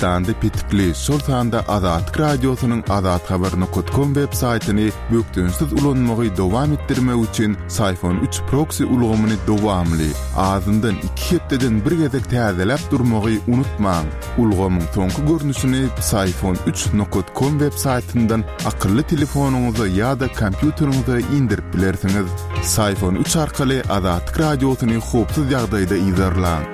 Türkmenistanda petikli, şol sanda Azatlyk Radiosynyň azathabar nokat kom web saýtyny bökdençsiz ulanmagy dowam etdirmek üçin Syfon üç proksi ulgamyny dowamly, azyndan iki hepdeden bir gezek täzeläp durmagy unutmaň. Ulgamyň soňky görnüşini Psiphon üç nokat kom web saýtyndan akylly telefonyňyza ýa-da kompýuteriňize indirip bilersiňiz. Psiphon üç arkaly Azatlyk Radiosyny howpsuz ýagdaýda yzarlaň.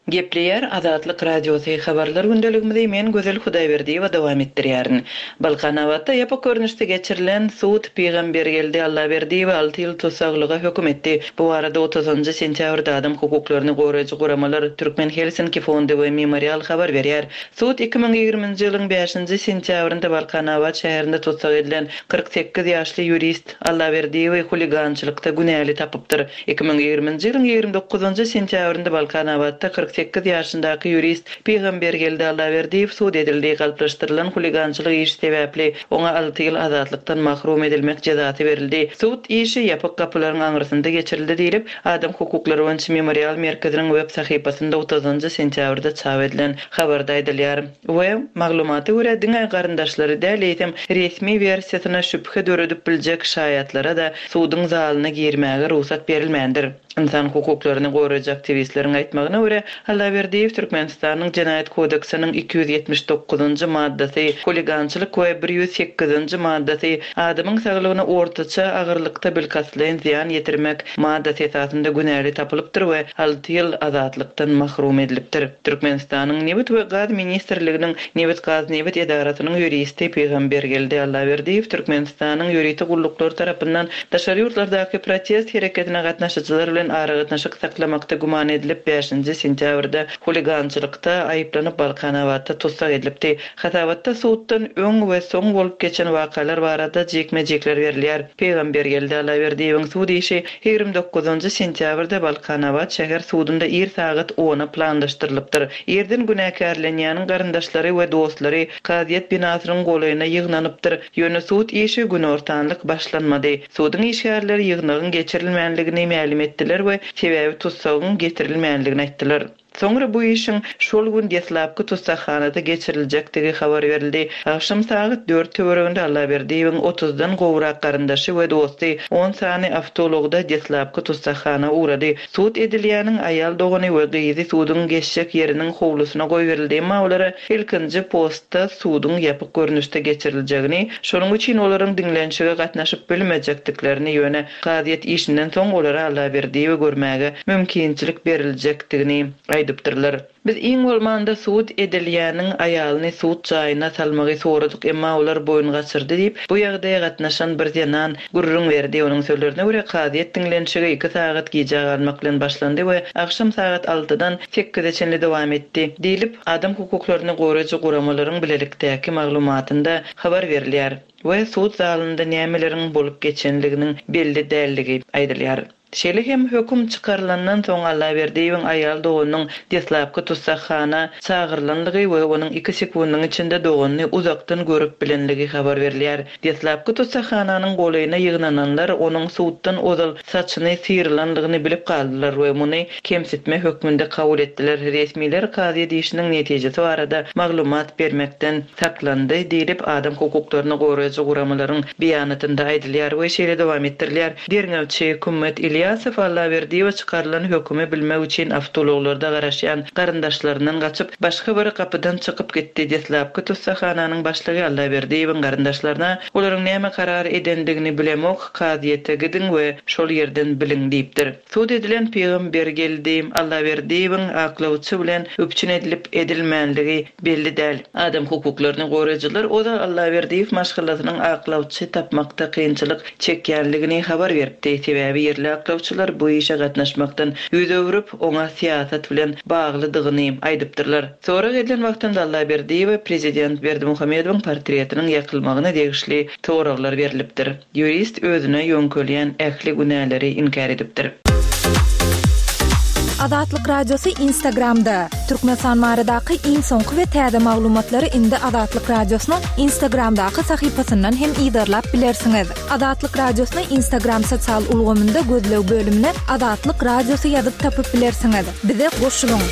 Gepleýär Azatlyk Radiosy Habarlar gündeligimizi men Gözel Hudaýberdiýewa dowam etdirýärin. Balkanabatda ýapyk görnüşde geçirilen sud Pygambergeldi Allaberdiýewi alty ýyl tussaglyga höküm etdi. Bu barada otuzynjy sentýabrda adam hukuklaryny goraýjy guramalar Türkmen Helsinki fondy we Memorial habar berýär. Sud 2020-nji ýylyň bäşinji sentýabrynda Balkanabat şäherinde tussag edilen 48 ýaşly ýurist Allaberdiýewi huligançylykda günäli tapypdyr. 2020-nji ýylyň 29-njy sentýabrynda Balkanabatda 48 ýaşyndaky ýurist Pygambergeldi Allaberdiýew sud edildi, galplaşdyrylan huligançylyk işi sebäpli oňa alty ýyl azatlykdan mahrum edilmek jezasy berildi. Sud işi ýapyk gapylaryň aňyrsynda geçirildi diýlip, Adam hukuklary boýunça Memorial merkeziniň web sahypasynda otuzynjy sentýabrda çap edilen habarda aýdylýar we maglumata görä, diňe garyndaşlary däl, eýsem, resmi wersiýasyna şübhe döredip biljek şaýatlara-da suduň zalyna girmäge rugsat berilmändir. Ynsan hukuklaryny goraýjy aktiwistleriň aýtmagyna görä, Allaberdiýew Türkmenistanyň Jenaýat kodeksiniň 279-njy maddasy, huligançylyk we 108-nji maddasy, adamyň saglygyna ortaça agyrlykda bilkastlaýyn zyýan ýetirmek, maddasy esasynda günäli tapylypdyr we alty ýyl azatlykdan mahrum edilipdir. Türkmenistanyň Nebit we gaz ministrliginiň Nebitgaznebit edarasynyň ýuristi Pygambergeldi Allaberdiýew Türkmenistanyň ýörite gulluklary tarapyndan daşary ýurtlardaky protest hereketine gatnaşyjylar bilen aragatnaşyk saklamakda güman edilip bäşinji sentýabrda huligançylykda aýyplanyp Balkanabatda tussag edilipdi. Hasabatda suddan öň we soň bolup geçen wakalar barada jikme-jikler berilýär. Pygambergeldi Allaberdiýewiň sud işi 29-njy sentýabrda Balkanabat şäher sudunda ir sagat ona planlaşdyrylypdyr. Irden günäkärlenýäniň garyndaşlary we dostlary kazyýet binasynyň golaýyna ýygnanypdyr. Ýöne sud işi günortanlyk başlanmady. Suduň işgärleri ýygnagyň geçirilmänligini mälim etdiler we sebäbi tussagyň getirilmänligini aýtdylar. Soňra bu işiň şol gün deslapky tussaghanada geçiriljekdigi habar berildi. Agşam sagat dört töwereginde Allaberdiýewiň otuzdan gowrak garyndaşy we dosty on sany awtoulagda deslapky tussaghana ugrady. Sud edilýäniň aýal dogany we gyzy suduň geçjek ýeriniň howlusyna goýberildi, emma olara ilkinji postda suduň ýapyk görnüşde geçiriljegini, şonuň üçin olaryň diňlenişige gatnaşyp bilmejekdiklerini, ýöne Kazyýet işinden soň olara Allaberdiýewi görmäge mümkinçilik beriljekdigini aýdypdyrlar. Biz iň bolmanda sud edilýäniň aýalyny sud jaýyna salmagy soradyk, emma olar boýun gaçyrdy diýip, bu ýagdaýa gatnaşan bir zenan gürrüň berdi. Onuň sözlerine görä, kazyýet diňlenişigi iki sagat gijä galmak bilen başlandy we agşam sagat altydan sekize çenli dowam etdi, diýlip, adam hukuklaryny goraýjy guramalaryň bilelikdäki maglumatynda habar berilýär. we sud zalynda nämeleriň bolup geçenliginiň belli däldigi aýdylýar. Şeýle hem höküm çykarylandan soň Allaberdiýewiň aýal doganynyň deslapky tussaghana çagyrylanlygy we onuň iki sekundyň içinde doganyny uzakdan görüp bilenligi habar berilýär. Deslapky tussaghananyň golaýyna ýygnananlar onuň suddan ozal saçyny syrylanlygyny bilip galdylar we muny kemsitme hökmünde kabul etdiler. Resmiler kazyýet işiniň netijesi barada maglumat bermekden saklandy diýlip, adam hukuklaryny goraýjy guramalaryň beýanatynda aýdylýar we şeýle dowam etdirilýär, Derňewçi Kümmet Ilýasow Allaberdiýewe çykarylan hökümi bilmek üçin awtoulaglarda garaşýan garyndaşlaryndan gaçyp, başga bir gapydan çykyp gitdi. Deslapky tussaghananyň başlygy Allaberdiýewiň garyndaşlaryna olaryň näme karar edendigini bilemok, kazyýete gidiň we şol ýerden biliň diýipdir. Sud edilen Pygambergeldi Allaberdiýewiň aklawçy bilen üpjün edilip edilmänligi belli däl. Adam hukuklaryny goraýjylar ozal Allaberdiýew maşgalasynyň aklawçy tapmakda kynçylyk çekýänligini habar beripdi. Sebäbi ýerli aklawçylar bu işe gatnaşmakdan ýüz öwrüp, oňa syýasat bilen baglydygyny aýdypdyrlar. Sorag edilen wagtynda Allaberdiýewe prezident Berdimuhamedowyň portretiniň ýakylmagyna degişli soraglar berlipdir. Ýurist özüne ýöňkelýän ähli günäleri inkär edipdir. Azatlyk Radiosy Instagramda! Türkmenistan baradaky iň soňky we täze maglumatlary indi Azatlyk Radiosynyň Instagramdaky sahypasyndan hem yzarlap bilersiňiz. Azatlyk Radiosyny Instagram sosial ulgamynda gözleg bölümine Azatlyk Radiosy ýazyp tapyp bilersiňiz. Bize goşulyň!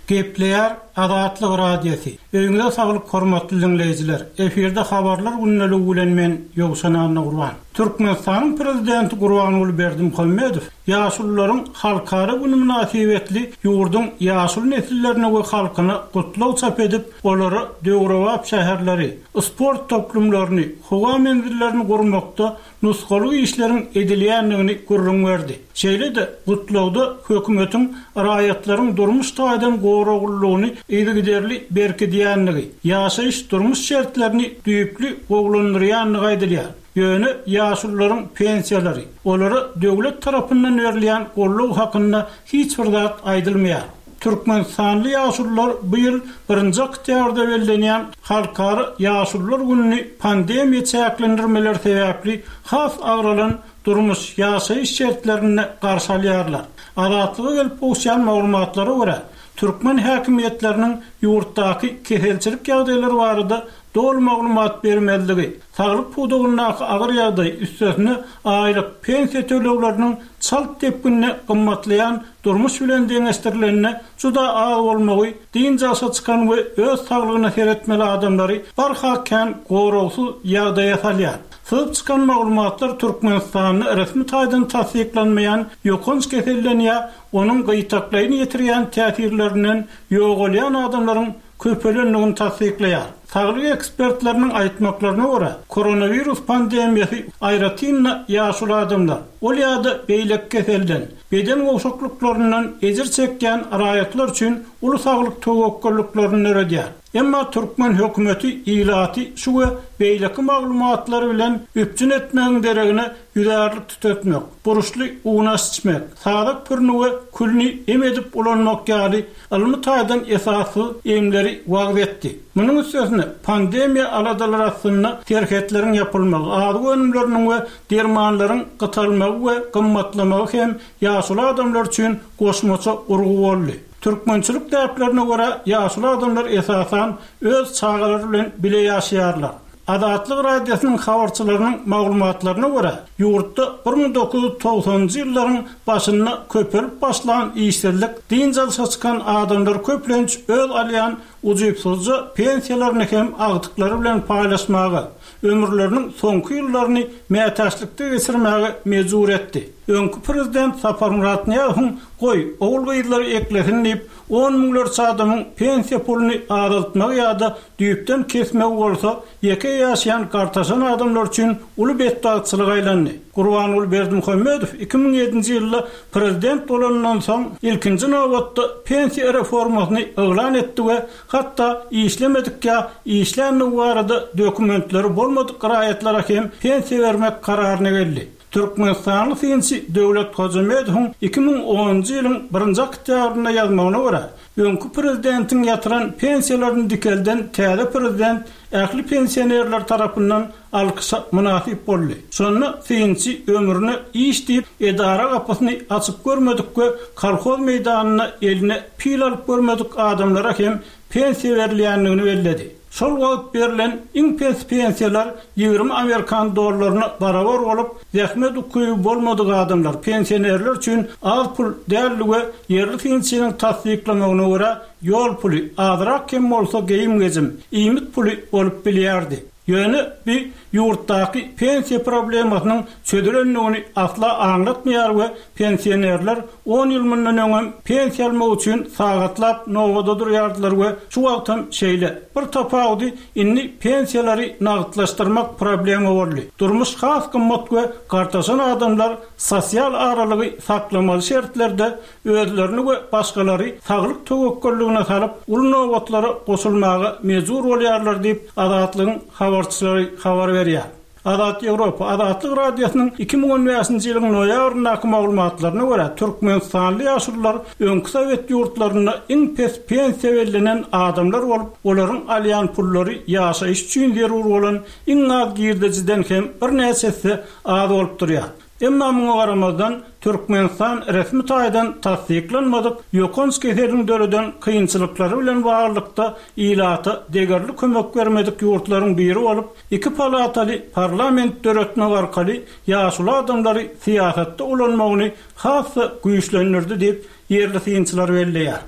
Gepleýär Azatlyk Radiosy. Öýüňize saglyk hormatly diňleýjiler. Efirde habarlar gündeligi bilen men Ýowşan Annagurban. Türkmenistanyň Prezidenti Gurbanguly Berdimuhamedow Ýaşulularyň halkara güni mynasybetli ýurduň ýaşuly nesillerine we halkyna gutlag çap edip, olara döwrebap şäherleri, sport toplumlaryny, howa menzillerini gurmakda nusgalyk işleriň edilýändigini gürrüň berdi. Şeýle-de, gutlagda hökümetiň raýatlaryň durmuş taýdan goraglylygyny yzygiderli berkidýändigi, ýaşaýyş-durmuş şertlerini düýpli gowulandyrýandygy aýdylýar. Ýöne ýaşulularyň pensiýalary, olara döwlet tarapyndan berilýän goldaw hakynda hiç bir zat aýdylmaýar. Türkmenistanly ýaşulular bu ýyl birinji oktýabrda bellenýän Halkara ýaşulular gününi pandemiýa çäklendirmeleri sebäpli has agralan durmuş, ýaşaýyş şertlerinde garşy alýarlar. Azatlyga gelip gowuşýan maglumatlara görä, türkmen häkimiýetleriniň ýurtdaky keselçilik ýagdaýlary barada doly maglumat bermezligi, saglyk pudagyndaky agyr ýagdaý, üstesine aýlyk, pensiýa tölegleriniň çalt depginde gymmatlaýan durmuş bilen deňeşdirilende juda az bolmagy dynç alşa çykan we öz saglygyna seretmeli adamlary barha kän goragsyz ýagdaýa salýar. Syzyp çykan maglumatlar Türkmenistanda resmi taýdan tassyklanmaýan ýokanç keselden ýa onuň gytaklaýyn ýetirýän täsirlerinden ýogalýan adamlaryň köpelendigini tassyklaýar. Saglyk ekspertleriniň aýtmaklaryna görä, koronawirus pandemiýasy aýratyn-da ýaşuly adamlar, ol ýa-da beýleki keselden, beden gowşaklyklaryndan ejir çekýän raýatlar üçin uly saglyk töwekgelliklerini döredýär. Emma türkmen hökümeti ilaty şu we beýleki maglumatlar bilen üpjün etmegiň deregine ýüzärlik tütetmek, burçly unaş içmek, sazak pürüni we külüni em edip ulanmak ýaly ylmy taýdan esassyz emleri wagyz etdi. Munuň üstesine, pandemiýa aladalary astynda serhetleriň ýapylmagy, azyk önümleriniň we dermanlaryň gytalmagy we gymmatlamagy hem ýaşuly adamlar üçin goşmaça urgy boldy. Türkmençilik däplerine görä, ýaşuly adamlar esasan öz çagalary bilen bile ýaşaýarlar. Azatlyk Radiosynyň habarçylarynyň maglumatlaryna görä, ýurtda 1990-njy ýyllaryň başynda köpelip başlan işsizlik dynç alşa çykan adamlar köplenç öz alýan ujypsyzja pensiýalaryny hem agtyklary bilen paýlaşmaga, ömürleriniň soňky ýyllaryny mätäçlikde geçirmäge mejbur etdi. Öňki prezident Saparmyrat Nyýazowyň Goý, ogul-gyzlary eklesin diýip, on müňlerçe adamyň pensiýa puluny azaltmagy ýa-da düýpden kesmegi bolsa, ýeke ýaşaýan gartaşan adamlar üçin uly betbagtçylyga aýlandy. Gurbanguly Berdimuhamedow 2007-nji ýylda prezident bolanyndan soň, ilkinji nobatda pensiýa reformasyny yglan etdi we hatda işlemedik ýa işländigi barada dokumentleri bolmadyk raýatlara hem pensiýa bermek kararyna geldi. Türkmenistanly synçy Döwlet Hojamedowyň 2010-njy ýylyň birinji oktýabrynda ýazmagyna görä, öňki prezidentiň ýatyran pensiýalaryny dikelden täze prezident ähli pensionerler tarapyndan alkyşa mynasyp boldy. Şonda synçy ömrüne iş diýip edara gapysyny açyp görmedik we kolhoz meýdanynda eline pil alyp görmedik adamlara hem pensiýa berilýändigini belledi. Şol wagt berlen iň pes pensiýalar 20 amerikan dollaryna barabar bolup, zähmet ukyby bolmadyk adamlar, pensionerler üçin az pul däldi we ýerli synçynyň tassyklamagyna görä, ýol puly, azrak hem bolsa geýim-gejim, iýmit puly bolup bilýärdi. Ýöne bi ýurtdaky pensiýa problemasynyň çözülendigini asla aňlatmaýar we pensionerler on ýyl mundan öňem pensiýa almak üçin sagatlap nobada durýardylar we şu wagtam şeýle. Bir tapawudy indi pensiýalary nagtlaşdyrmak problema boldy. Durmuş has gymmat we gartaşan adamlar sosial aralygy saklamaly şertlerde özlerini we başgalary saglyk töwekgelligine salyp, uly nobatlara goşulmaga mejbur bolýarlar diýip, Azatlygyň habarçylary habar berýär. Azat Ýewropa, Azatlyk Radiosynyň 2015-nji ýylyň noýabryndaky maglumatlaryna görä, türkmenistanly ýaşulular öňki sowet ýurtlarynda iň pes pensiýa bellenen adamlar bolup, olaryň alýan pullary ýaşaýyş üçin zerur bolan iň az girdejiden hem birnäçe esse az bolup durýar. Emma muňa garamazdan, Türkmenistan resmi taýdan tassyklanmadyk ýokanç keseliň döreden kynçylyklary bilen baglylykda ilata degerli kömek bermedik ýurtlaryň biri bolup, iki palataly parlament döretmek arkaly ýaşuly adamlary syýasatda ulanmagyny has-da güýçlendirdi diýip, ýerli synçylar belleýär.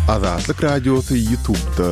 Azatlyk Radiosy Ýutubda.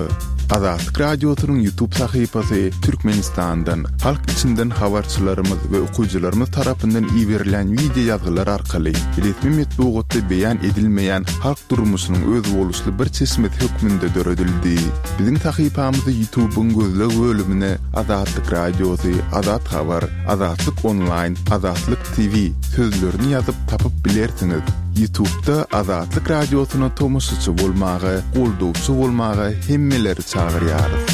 Azatlyk Radiosynyň Ýutub sahypasy Türkmenistandan, halk içinden habarçylarymyz we okyjylarymyz tarapyndan iberilen wideo ýazgylar arkaly resmi metbugatda beýan edilmeýän halk durmuşynyň özboluşly bir çeşmesi hökmünde döredildi. Biziň sahypamyzy Ýutubyň gözleg bölümine Azatlyk Radiosy, Azat Habar, Azatlyk Onlaýn, Azatlyk TV sözlerini ýazyp tapyp bilersiňiz. Ýutubda Azatlyk Radiosyna tomaşaçy bolmaga, goldawçy bolmaga hemmeleri çagyrýarys.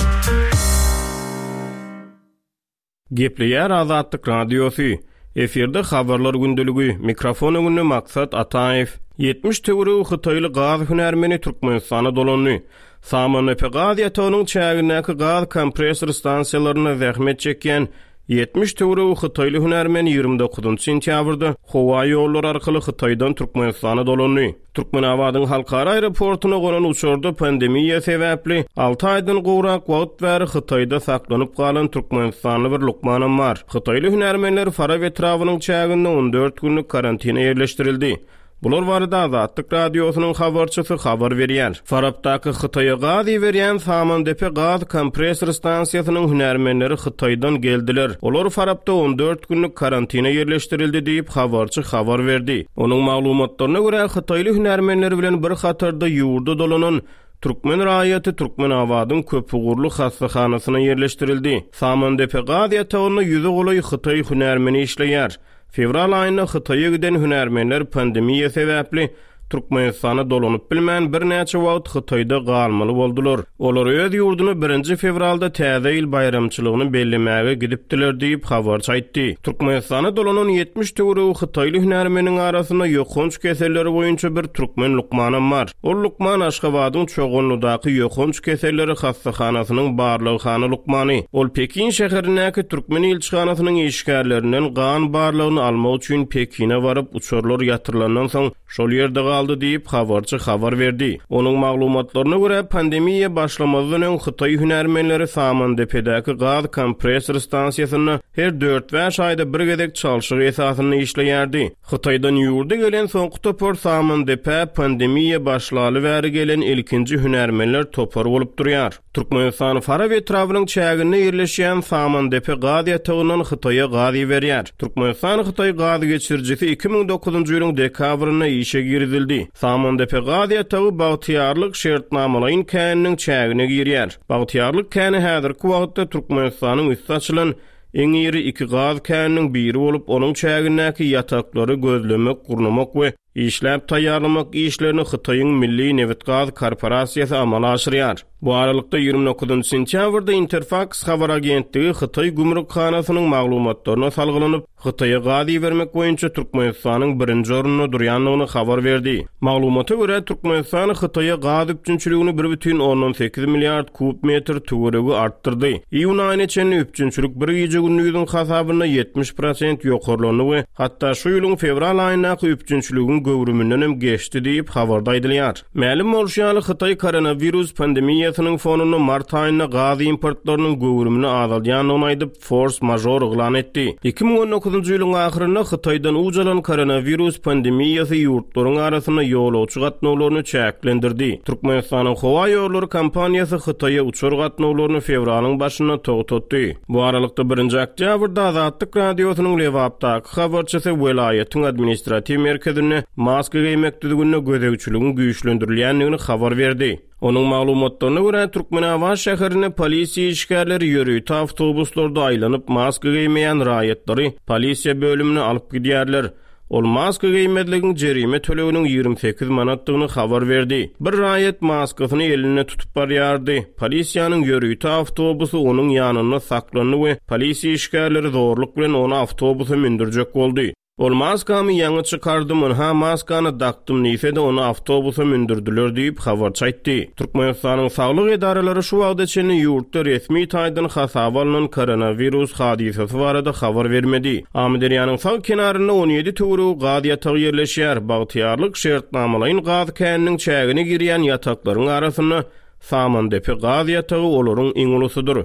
Gepleýär Azatlyk Radiosy. Efirde Habarlar gündeligi, mikrofon öňünde Maksat Ataýew. 70 töweregi hytaýly gaz hünärmeni Türkmenistana dolandy. Samandepe gaz ýatagynyň çägindäki gaz kompressor stansiýalarynda zähmet çekýän 70 töweregi hytaýly hünärmen 29 sentýabrda howa ýollary arkaly Hytaýdan Türkmenistana dolandy. Türkmenabadyň halkara aeroportuna gonan uçarda pandemiýa sebäpli alty aýdan gowrak wagt bäri Hytaýda saklanyp galan türkmenistanly bir lukmanam bar. Hytaýly hünärmenler Farap etrabynyň çäginde 14 günlük karantina ýerleşdirildi. Bular barada Azatlyk Radiosynyň habarçysy habar berýär. Farapdaky Hytaýa gaz iberýän Samandepe gaz kompressor stansiýasynyň hünärmenleri Hytaýdan geldiler. Olar Farapda 14 günlük karantina ýerleşdirildi diýip, habarçy habar berdi. Onuň maglumatlaryna görä, hytaýly hünärmenler bilen bir hatarda ýurda dolanan türkmen raýaty Türkmenabadyň köpugurly hassahanasyna ýerleşdirildi. Samandepe gaz ýatagynda ýüze golaý hytaý hünärmeni işleýär. Fewral aýynda Hytaýa giden hünärmenler pandemiýa sebäpli Türkmenistana dolanyp bilmän, birnäçe wagt Hytaýda galmaly boldular. Olar öz ýurduna birinji fewralda Täze ýyl baýramçylygyny bellemäge gidipdiler diýip, habarçy aýtdy. Türkmenistana dolanan 70 töweregi hytaýly hünärmeniň arasynda ýokanç keselleri boýunça bir türkmen lukmanam bar. Ol lukman Aşgabadyň Çoganlydaky ýokanç keselleri hassahanasynyň barlaghana lukmany. Ol Pekin şäherindäki türkmen ilçihanasynyň işgärlerinden gan barlagyny almak üçin Pekine baryp, uçarlar ýatyrylandan soň şol ýerde galdy diýip, habarçy habar berdi. Onuň maglumatlaryna görä, pandemiýa başlamazdan öň hytaý hünärmenleri Samandepedäki gaz kompressor stansiýasynda her dört-bäş aýda bir gezek çalşyk esasynda işleýärdi. Hytaýdan ýurda gelen soňky topar Samandepä pandemiýa başlaly bäri gelen ilkinji hünärmenler topary bolup durýar. Türkmenistan Farap etrabynyň çäginde ýerleşýän Samandepe gaz ýatagyndan Hytaýa gaz iberýär. Türkmenistan-Hytaý gaz geçirijisi 2009-njy ýylyň dekabrynda işe girizildi. Samandepe gaz ýatagy Bagtyýarlyk şertnamalaýyn käniniň çägine girýär. Bagtyýarlyk käni häzirki wagtda Türkmenistanyň üsti açylan Iň iri iki gaz käniniň biri bolup, onuň çägindäki ýataklary gözlemek, gurnamak we işläp taýýarlamak işlerini Hytaýyň Milli nebitgaz korporasiýasy amala aşyrýar. Bu aralykda, 29 sentýabrda Interfaks habar agentligi Hytaý gümrükhanasynyň maglumatlaryna salgylanyp, Hytaýa gaz ibermek boýunça Türkmenistanyň birinji orunda durýandygyny habar berdi. Maglumata görä, Türkmenistan Hytaýa gaz üpjünçiligini bir bütin ondan sekiz milliard kub metr töweregi artdyrdy. Iýun aýyna çenli üpjünçilik bir gije-gündiziň hasabynda 70 prosent ýokarlandy we hatda şu ýylyň fewral aýyndaky üpjünçiligiň göwrümindenem geçdi diýip, habarda aýdylýar. Mälim bolşy ýaly, Hytaý koronawirus pandemiýasynyň fonunda mart aýynda gaz importlarynyň göwrümini azaldýandygyny aýdyp, fors-mažor yglan etdi. 2019-njy ýylyň ahyrynda Hytaýdan uç alan koronawirus pandemiýasy ýurtlaryň arasynda ýolagçy gatnawlaryny çäklendirdi. Türkmenistanyň howa ýollary kompaniýasy Hytaýa uçar gatnawlaryny fewralyň başynda togtatdy. Bu aralykda, birinji oktýabrda Azatlyk Radiosynyň Lebapdaky habarçysy welaýatyň administratiw merkezinde maska geýmek düzgünine gözegçiligiň güýçlendirilýändigini habar berdi. Onuň maglumatlaryna görä, Türkmenabat şäherinde polisiýa işgärleri ýörite awtobuslarda aýlanyp, maska geýmeýän raýatlary polisiýa bölümine alyp gidýärler. Ol maska geýmezligiň jerime töleginiň 28 manatdygyny habar berdi. Bir raýat maskasyny elinde tutup barýardy. Polisiýanyň ýörite awtobusy onuň ýanynda saklandy we polisiýa işgärleri zorluk bilen ony awtobusa mündürjek boldy. Ol maskamy ýaňy çykardym, ynha maskany dakdym diýse-de, ony awtobusa mündürdiler diýip, habarçy aýtdy. Türkmenistanyň saglyk edaralary şu wagta çenli ýurtda resmi taýdan hasaba alnan koronawirus hadysasy barada habar bermedi. Amyderýanyň sag kenarynda 17 töweregi gaz ýatagy ýerleşýär. Bagtyýarlyk şertnamalaýyn gaz käniniň çägine girýän ýataklaryň arasynda Samandepe gaz ýatagy olaryň iň ulusydyr.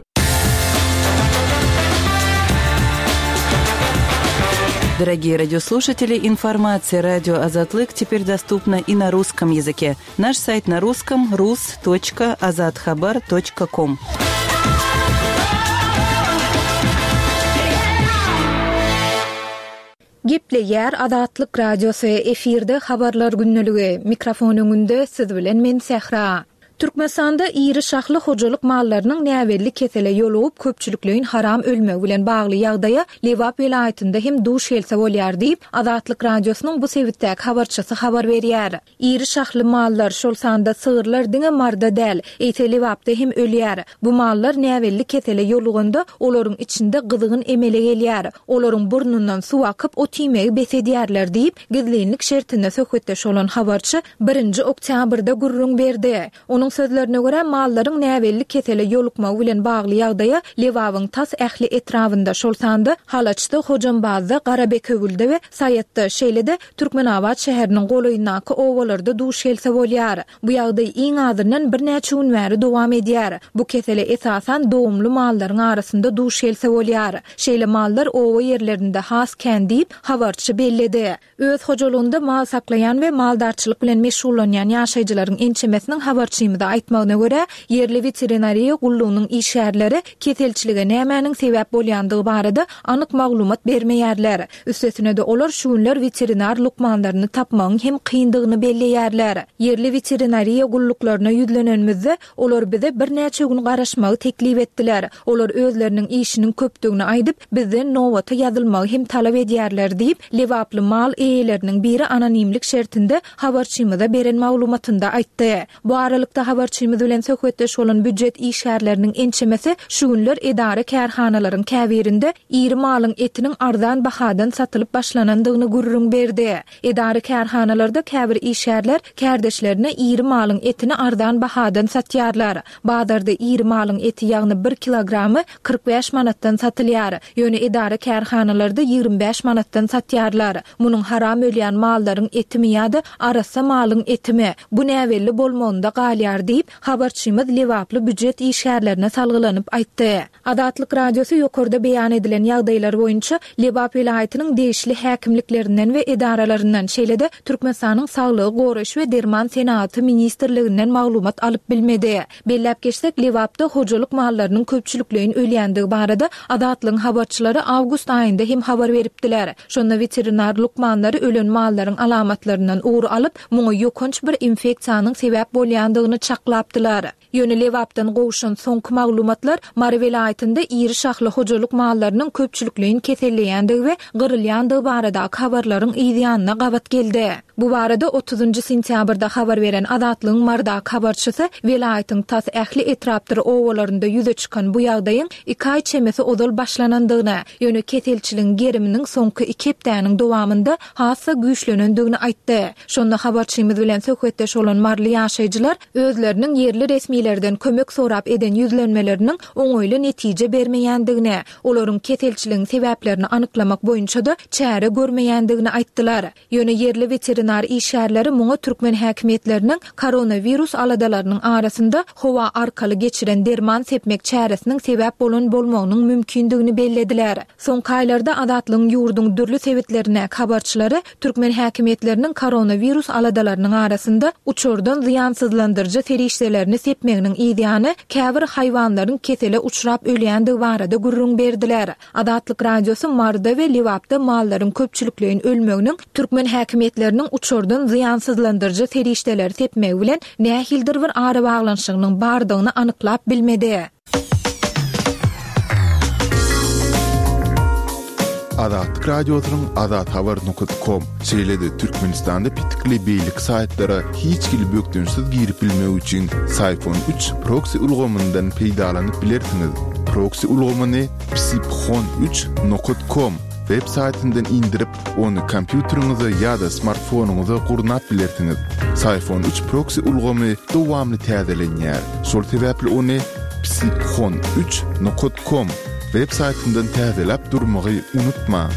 Дорогие радиослушатели, информация радио Азатлык теперь доступна и на русском языке. Наш сайт на русском rus.azathabar.com. Gepleýär Azatlyk Radiosy, efirde Habarlar gündeligi, mikrofon öňünde siz bilen men Sähra. Türkmenistanda iri şahly hojalyk mallarynyň näbelli kesele ýolugyp köpçülikleýin haram ölmegi bilen bagly ýagdaýa Lebap welaýatynda hem duş gelse bolýar diýip, Azatlyk Radiosynyň bu sebitdäki habarçysy habar berýär. Iri şahly mallar, şol sanda sygyrlar diňe Maryda däl, eýse Lebapda hem ölýär. Bu mallar näbelli kesele ýoluganda, olaryň içinde gyzgyn emele gelýär. Olaryň burnundan suw akyp, ot iýmegi bes edýärler diýip, gizlinlik şertinde söhbetdeş bolan habarçy birinji oktýabrda gürrüň berdi. Onuň sözlerine görä, mallaryň näbelli kesele ýolukmagy bilen bagly ýagdaýa Lebabyň tas ähli etrabynda, şol sanda Halaçda, Hojambazda, Garabekewülde we Saýatda, şeýle-de Türkmenabat şäheriniň golaýyndaky obalarda duş gelse bolýar. Bu ýagdaý iň azyndan birnäçe gün bäri dowam edýär. Bu kesele esasan dogumly mallaryň arasynda duş gelse bolýar. Şeýle mallar oba ýerlerinde has kän diýip, habarçy belledi. Öz hojalygynda mal saklaýan we maldarçylyk bilen meşgullanýan ýaşaýjylaryň ençemesiniň habarçymyza aýtmagyna görä, ýerli weterinariýa gullugynyň işgärleri keselçilige nämäniň sebäp bolýandygy barada anyk maglumat bermeýärler. Üstesine-de olar şu günler weterinar lukmanlaryny tapmagyň hem kyndygyny belleýärler. Ýerli weterinariýa gulluklaryna ýüzlenenimizde, olar bize birnäçe gün garaşmagy teklip etdiler. Olar özleriniň işiniň köpdügini aýdyp, bizden nobata ýazylmagy hem talap edýärler diýip, lebaply mal eýeleriniň biri anonimlik şertinde habarçymyza beren maglumatynda aýtdy. Bu aralykda, habarçymyz bilen söhbetdeş bolan býujet işgärleriniň ençemesi şu günler edara-kärhanalaryň käbirinde iri malyň etiniň arzan bahadan satylyp başlanandygyny gürrüň berdi. Edara-kärhanalarda käbir işgärler kärdeşlerine iri malyň etini arzan bahadan satýarlar. Bazarda iri malyň eti ýagny bir kilogramy 45 manatdan satylýar. Ýöne edara-kärhanalarda 25 manatdan satýarlar. Munuň haram ölýän mallaryň etimi ýa-da arassa malyň etimi, bu näbelli bolmagynda galýar diýip, habarçymyz lebaply býujet işgärlerine salgylanyp aýtdy. Azatlyk Radiosy ýokarda beýan edilen ýagdaýlar boýunça Lebap welaýatynyň degişli häkimliklerinden we edaralaryndan, şeýle-de Türkmenistanyň Saglygy goraýyş we derman senagaty ministrliginden maglumat alyp bilmedi. Belläp geçsek, Lebapda hojalyk mallarynyň köpçülikleýin ölýändigi barada Azatlygyň habarçylary awgust aýynda hem habar beripdiler. Şonda weterinar lukmanlary ölen mallaryň alamatlaryndan ugur alyp, muňa ýokanç bir infeksiýanyň sebäp bolýandygyny çaklapdylar. Ýöne Lebapdan gowşan soňky maglumatlar Mary welaýatynda iri şahly hojalyk mallarynyň köpçülikleýin keselleýändigi we gyrylýandygy baradaky habarlaryň yz ýanyna gabat geldi. Bu barada otuzynjy sentýabrda habar beren Azatlygyň Marydaky habarçysy welaýatyň tas ähli etrapdyr obalarynda ýüze çykan bu ýagdaýyň iki aý çemesi ozal başlanandygyny, ýöne keselçiligiň geriminiň soňky iki hepdäniň dowamynda has-da güýçlenendigini aýtdy. Şonda habarçymyz bilen söhbetdeş bolan maryly ýaşaýjylar özleriniň ýerli resmilerden kömek sorap eden ýüzlenmeleriniň oňaýly netije bermeýändigini, olaryň keselçiligiň sebäplerini anyklamak boýunça-da çäre görmeýändigini aýtdylar. Ýöne ýerli weterinar işgärleri muňa türkmen häkimiýetleriniň koronawirus aladalarynyň arasynda howa arkaly geçiren derman sepmek çäresiniň sebäp bolan bolmagynyň mümkindigini bellediler. Soňky aýlarda Azatlygyň ýurduň dürli sebitlerindäki habarçylary türkmen häkimiýetleriniň koronawirus aladalarynyň arasynda uçardan zyýansyzlandyryjy serişdelerini sepmeginiň yzýany käbir haýwanlaryň kesele uçrap ölýändigi barada gürrüň berdiler. Azatlyk Radiosy Maryda we Lebapda mallaryň köpçülikleýin ölmeginiň türkmen häkimiýetleriniň uçardan zyýansyzlandyryjy serişdeleri sepmegi bilen nähilidir bir arabaglanyşygynyň bardygyny anyklap bilmedi. Azatlyk Radiosynyň azathabar nokat kom, şeýle-de Türkmenistanda petikli beýleki saýtlara hiç hili bökdençsiz girip bilmek üçin Syphon 3 proksi ulgamyndan peýdalanyp bilersiňiz. Proksi ulgamyny psiphon üç nokat kom. web saýtyndan indirip, ony kompýuteriňize ýa-da smartfonyňyza gurnap bilersiňiz. Syfon üç proksi ulgamy dowamly täzelenýär. Şol sebäpli ony psiphon üç nokat kom web saýtyndan täzeläp durmagy unutmaň.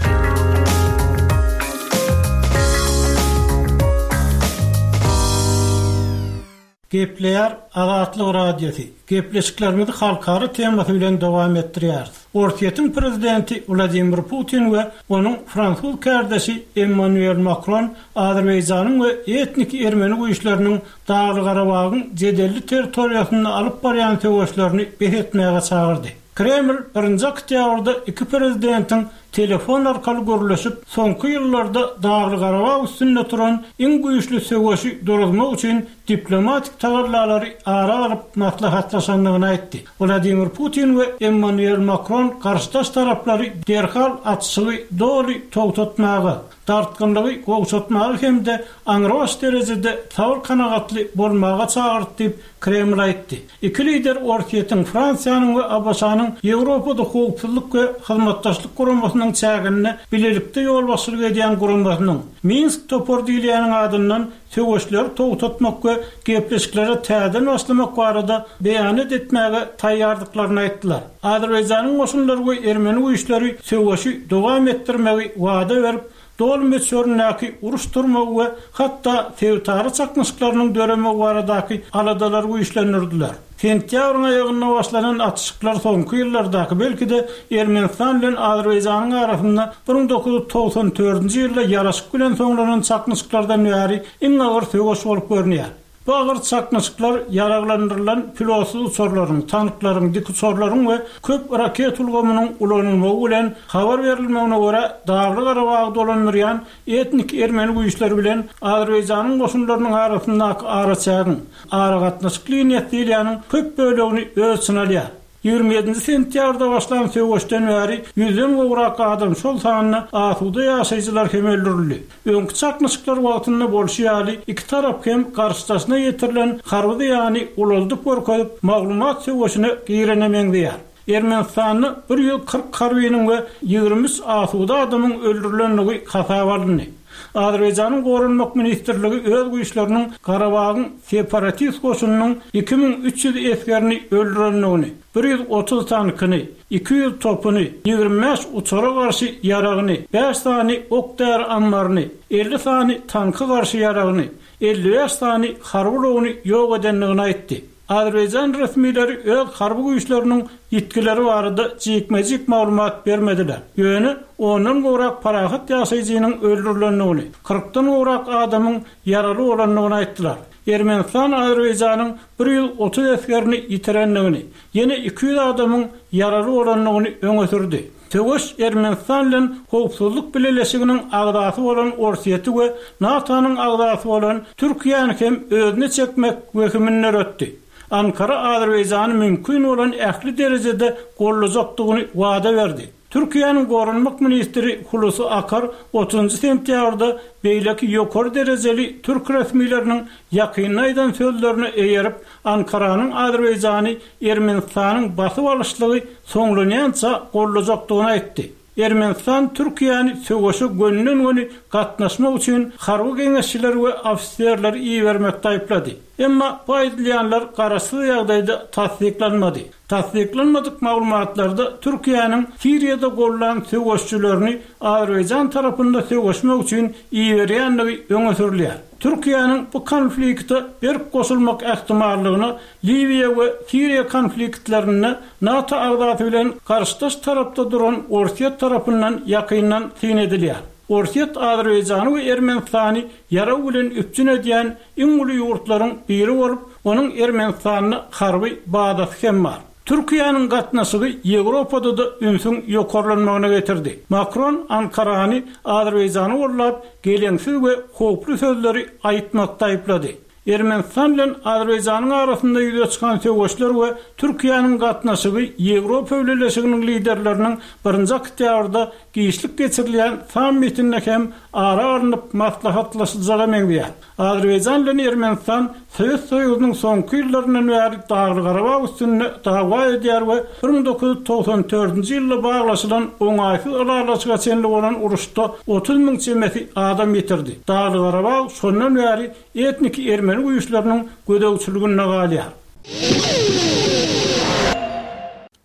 Gepleýär Azatlyk Radiosy, Gepleşiklerimizi halkara temasy bilen dowam etdirýäris. Orsýetiň prezidenti Wladimir Putin we onuň fransuz kärdeşi Emmanuel Makron Azerbaýjanyň we etniki ermeni güýçleriniň Dagly-Garabagyň jedelli territoriýasynda alyp barýan söweşlerini bes etmäge çagyrdy. Kreml birinji oktýabrda iki prezidentiň telefon arkaly gürleşip, soňky ýyllarda Dagly-Garabag üstünde turan iň güýçli söweşi duruzmak üçin diplomatik tagallalary ara alyp maslahatlaşandygyny aýtdy. Wladimir Putin we Emmanuel Makron garşydaş taraplary derhal atyşygy doly togtatmaga, dartgynlygy gowşatmaga hem-de aňrybaş derejede sabyr-kanagatly bolmaga çagyrdy diýip, Kreml aýtdy. Iki lider Orsýetiň, Fransiýanyň we ABŞ-nyň Ýewropada Howpsuzlyk we Hyzmatdaşlyk Guramasynyň çäginde bilelikde ýolbaşçylyk edýän guramasynyň, Minsk topary diýilýäniň adyndan söweşleri togtatmak we gepleşiklere täzeden başlamak barada beýanat etmäge taýýardyklaryny aýtdylar. Azerbaýjanyň goşunlary we ermeni güýçleri söweşi dowam etdirmegi wada berip, doly möçberindäki uruş turmagy we hatda sebitara çaknyşyklarynyň döremegi baradaky aladalary güýçlendirdiler. Sentýabryň aýagynda başlanan atyşyklar soňky ýyllardaky, belki-de, Ermenistan bilen Azerbaýjanyň arasynda 1994-nji ýylda ýaraşyk bilen soňlanan çaknyşyklardan bäri iň agyr söweş bolup görünýär. Bu agyr çaknyşyklar ýaraglandyrylan pilotsyz uçarlaryň, tanklaryň, dikuçarlaryň we köp raket ulgamynyň ulanylmagy bilen, habar berilmegine görä, Dagly-Garabagy dolandyrýan etnik ermeni güýçleri bilen Azerbaýjanyň goşunlarynyň arasyndaky araçägiň, aragatnaşyk liniýasy diýilýäniň köp bölegini öz içine alýar. 27-nji sentýabrda başlan söweşden bäri ýüzden gowrak adam, şol sanda asuda ýaşaýjylar hem öldürildi. Öňki çaknyşyklar wagtynda bolşy ýaly, iki tarap hem garşydaşyna ýetirilen harby zyýany ulaldyp görkezip, maglumat söweşine girene meňzeýär. Ermenistanda 140 harbynyň we 23 asuda adamyň öldürilendigi hasaba alyndy. Azerbaýjanyň Goranmak ministrligi öz güýçleriniň Garabagyň separatist goşunynyň 2300 esgerini öldürendigini, 130 tankyny, 200 topuny, 25 uçara garşy ýaragyny, bäş sany ok-däri ammaryny, 50 sany tanka garşy ýaragyny, 55 sany harby ulagyny ýok edendigini aýtdy. Azerbaýjan resmileri öz harby güýçleriniň ýitgileri barada jikme-jik maglumat bermediler. Ýöne ondan gowrak parahat ýaşaýjynyň öldürilendigini, kyrkdan gowrak adamyň ýaraly bolandygyny aýtdylar. Ermenistan Azerbaýjanyň 130 esgerini ýitirendigini, ýene 200 adamyň ýaraly bolandygyny öňe sürdi. Söweş Ermenistan bilen Howpsuzlyk Bileleşiginiň agzasy bolan Orsýeti we NATO-nyň agzasy bolan Türkiýäni hem özüne çekmek wehimini döretdi. Ankara Azerbaýjany mümkin bolan ähli derejede goldajakdygyny wada berdi. Türkiýäniň goranmak ministri Hulusi Akar otuzynjy sentýabrda beýleki ýokary derejeli türk resmileriniň ýakynda aýdan sözlerine eýerip, Ankaranyň Azerbaýjany Ermenistanyň basyp alyşlygy soňlanýança goldajakdygyny aýtdy. Ermenistan Türkiýäni söweşe gönüden-göni gatnaşmak üçin harby geňeşçileri we ofiserleri ibermekde aýyplady. Emma bu aýdylýanlar garaşsyz ýagdaýda tassyklanmady. Tassyklanmadyk maglumatlarda Türkiýäniň Siriýada gollan söweşçilerini Azerbaýjan tarapynda söweşmek üçin iberýändigi öňe sürülýär. Türkiýäniň bu konflikte berk goşulmak ähtimallygyna Liwiýa we Siriýa konfliktlerinde NATO agzasy bilen garşydaş tarapda duran Orsýet tarapyndan ýakyndan syn edilýär. Orsýet Azerbaýjany we Ermenistany ýarag bilen üpjün edýän iň uly ýurtlaryň biri bolup, onuň Ermenistanda harby bazasy hem bar. Türkiýäniň gatnaşygy Ýewropada-da ünsüň ýokarlanmagyna getirdi. Makron Ankarany Azerbaýjany goldap, geleňsiz we howply sözleri aýtmakda aýyplady. Ermenistan bilen Azerbaýjanyň arasynda ýüze çykan söweşler we Türkiýäniň gatnaşygy Ýewropa Bileleşiginiň liderleriniň birinji oktýabrda giçlik geçirilýän sammitinde hem ara alnyp maslahatlaşyljaga meňzeýär. Azerbaýjan bilen Ermenistan Sowet Soýuzynyň soňky ýyllaryndan bäri Dagly-Garabag üstünde dawa edýär we 1994-nji ýylda baglaşylan oňaýsyz ylalaşyga çenli bolan uruşda 30 müň çemesi adam ýitirdi. Dagly-Garabag şondan bäri etniki ermeni güýçleriniň gözegçiliginde galýar.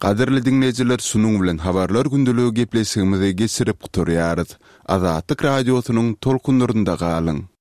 Gadyrly diňleýjiler şunuň bilen Habarlar gündeligi gepleşigimizi geçirip gutarýarys. Azatlyk Radiosynyň tolkunlarynda galyň!